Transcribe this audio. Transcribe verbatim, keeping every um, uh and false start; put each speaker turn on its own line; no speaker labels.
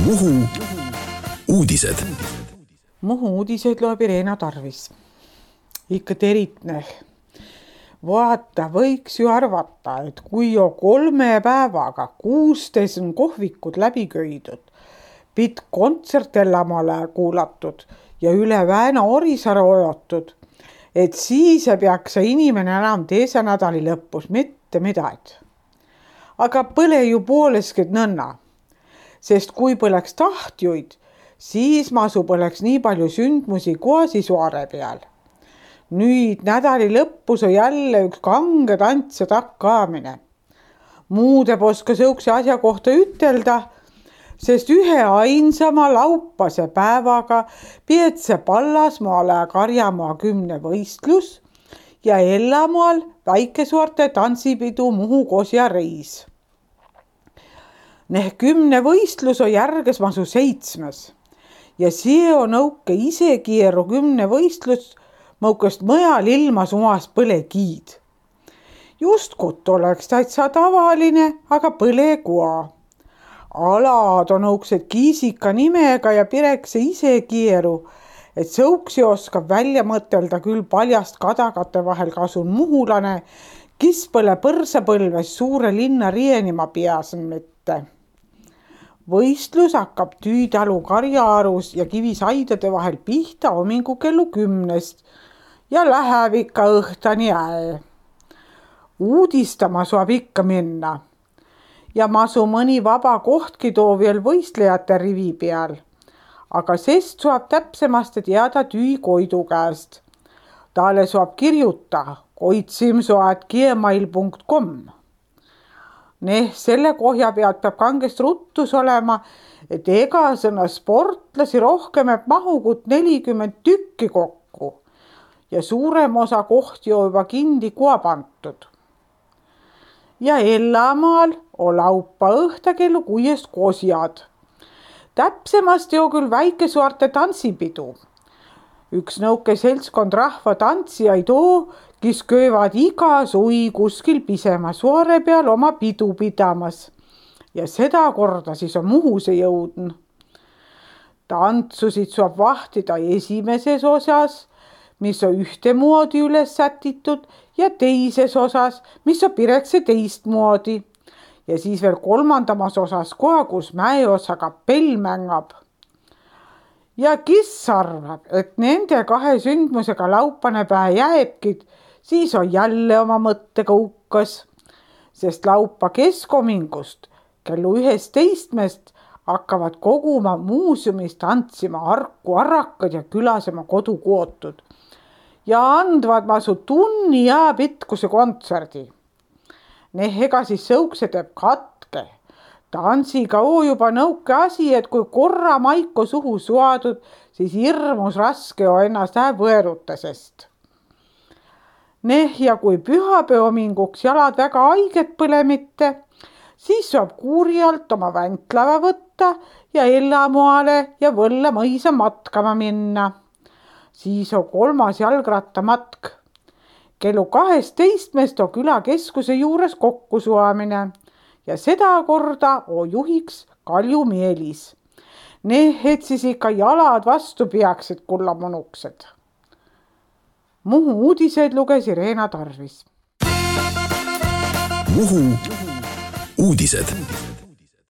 Muhu uudised.
Muhu uudiseid loeb Irena Tarvis. Ikka teritne. Vaata, võiks ju arvata, et kui jo kolme päevaga kuustes on kohvikud läbi köidud, pit kontsertellamale kuulatud ja üle Vääna Orisaare ojotud, et siis ei peaks inimene enam teise nädali lõpus mitte midagi. Aga põle ju poolesked nõnna, sest kui põleks tahtjuid, siis masu põleks nii palju sündmusi Koasisuare peal. Nüüd nädali lõppus on jälle üks kange tants ja takkaamine. Muude poska sõukse asja kohta ütelda, sest ühe ainsama laupase päevaga Pietse Pallasmaale Karjamaa kümne võistlus ja Ellamaal Väikesuarte tantsipidu Muhu Kosja reis. Neh kümne võistlus on järges masu seitsmes ja see on õuke isegieru kümne võistlus mõukast mõjal ilmas umas põlekiid. Just kut oleks täitsa tavaline, aga põle kua. Alad on õuksed kiisika nimega ja pirekse isegieru, et sõuksi oskab välja mõtelda küll paljast kadagate vahel kasun muhulane, kis põle põrsapõlves suure linna rienima piasen mitte. Võistlus hakkab Tüüdalu Karjaarus ja Kivisaidade vahel pihta homingu kellu kümnest ja läheb ikka õhtani äe. Uudistama saab ikka minna ja masu mõni vaba kohtki too veel võistlejate rivi peal, aga sest saab täpsemasti teada Tüü Koidu käest. Taale saab kirjuta koitsimsoat gmail punkt com. Neh, selle kohja pealt peab kangest ruttus olema, et ega sõna sportlasi rohkem eb mahugut nelikümmend tükki kokku ja suurem osa kohti on juba kindi kua pantud. Ja Ellamaal on laupa õhta kellu kuiest kosjad. Täpsemasti on küll Väikesuarte tantsipidu. Üks nõuke seltskond rahva tantsijaid oo, kes köövad iga sui kuskil pisema suare peal oma pidu pidamas. Ja seda korda siis on Muhuse jõudn. Tantsusid saab vahtida esimeses osas, mis on ühtemoodi üles sätitud, ja teises osas, mis on pirekse teistmoodi. Ja siis veel kolmandamas osas koha, kus mäeosa kapell mängab. Ja kes arvab, et nende kahe sündmusega laupane päe jääbkid, siis on jälle oma mõttega ukkas, sest laupa keskomingust kellu ühest teistmest hakkavad koguma muuseumis tantsima Harku arrakad ja külasema kodukootud ja andvad masu tunni ja pitkuse kontserdi. Neh ega siis sõukse teeb katke. Tantsiga oo juba nõuke asi, et kui korra maiko suhu suadud, siis hirmus raske on ennast ää võerutasest. Neh ja kui pühapäevaminguks jalad väga haiget põle mitte, siis saab kuurjalt oma väntlava võtta ja Ellamaale ja Võlla mõisa matkama minna. Siis on kolmas jalgrattamatk. Kellu kaheteistkümnest on külakeskuse juures kokkusuamine ja seda korda on juhiks Kalju Meelis. Neh, et siis ikka jalad vastu peaksid kullamonuksed. Muhu uudiseid luges Irena Tarvis.
Muhu uudised.